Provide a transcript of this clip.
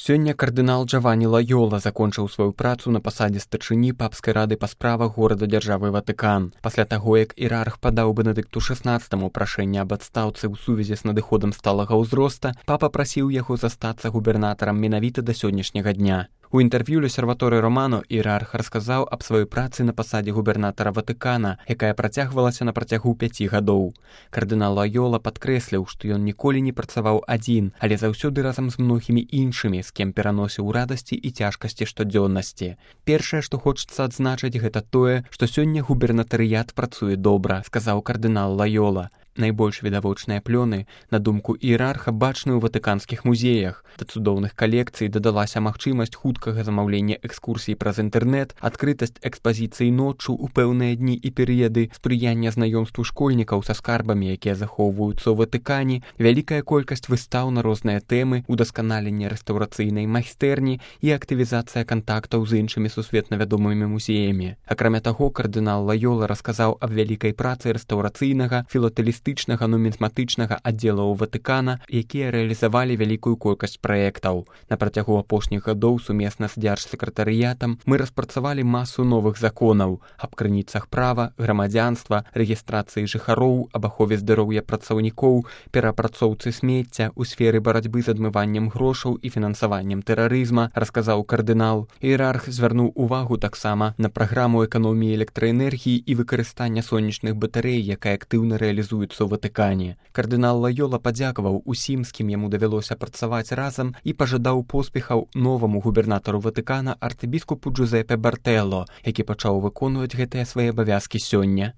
Сёння кардынал Джавані Лайола закончыў сваю працу на пасадзе старшыні папскай рады па справах горада-дзяржавы Ватыкан. Пасля таго, як іерарх падаў Бенедыкту XVI прашэнне аб адстаўцы ў сувязі з надыходам сталага ўзроста, папа прасіў яго застацца губернатарам менавіта да сённяшняга дня. У інтэрв'ю L'Osservatore Romano іерарх расказаў аб сваёй працы на пасадзе губернатара Ватыкана, якая працягвалася на працягу 5 гадоў. Кардынал Лайола падкрэсліў, што ён ніколі не працаваў адзін, але заўсёды разам з многімі іншымі, з кем пераносіў радасці і цяжкасці штодзённасці. Першае, што хочацца адзначыць, гэта тое, што сёння губернатарыят працуе добра, сказаў кардынал Лайола. Найбольш відавочныя плёны, на думку іерарха, бачны ў ватыканскіх музеях. Да цудоўных калекцый дадалася магчымасць хуткага замаўлення экскурсій праз інтэрнэт, адкрытасць экспазіцыі ноччу ў пэўныя дні і перыяды, спрыяння знаёмству школьнікаў са скарбамі, якія захоўваюцца ў Ватыкане, вялікая колькасць выстаў на розныя тэмы, удасканаленне рэстаўрацыйнай майстэрні і актывізацыя кантактаў з іншымі сусветна вядомымі музеямі. Акрамя таго, кардынал Лайола расказаў аб вялікай працы рэстаўрацыйнага, філатэлістычнага, нумізматычнага аддзелаў Ватыкана, якія рэалізавалі вялікую колькасць праектаў. На працягу апошніх гадоў сумесна з дзяржсакратарыятам мы распрацавалі масу новых законаў аб крыніцах права, грамадзянства, рэгістрацыі жыхароў, аб ахове здароўя працаўнікоў, перапрацоўцы смецця ў сферы барацьбы з адмываннем грошаў і фінансаваннем тэрарызма, расказаў кардынал. Іерарх звярнуў увагу таксама на праграму эканоміі электраэнергіі і выкарыстання сонечных батарэй, якая актыўна рэалізуецца ў Ватыкане. Кардынал Лайола падзякаваў усім, з кім яму давялося працаваць разам, і пажадаў поспехаў новаму губернатару Ватыкана архібіскупу Джузепе Бартэлло, які пачаў выконваць гэтыя свае абавязкі сёння.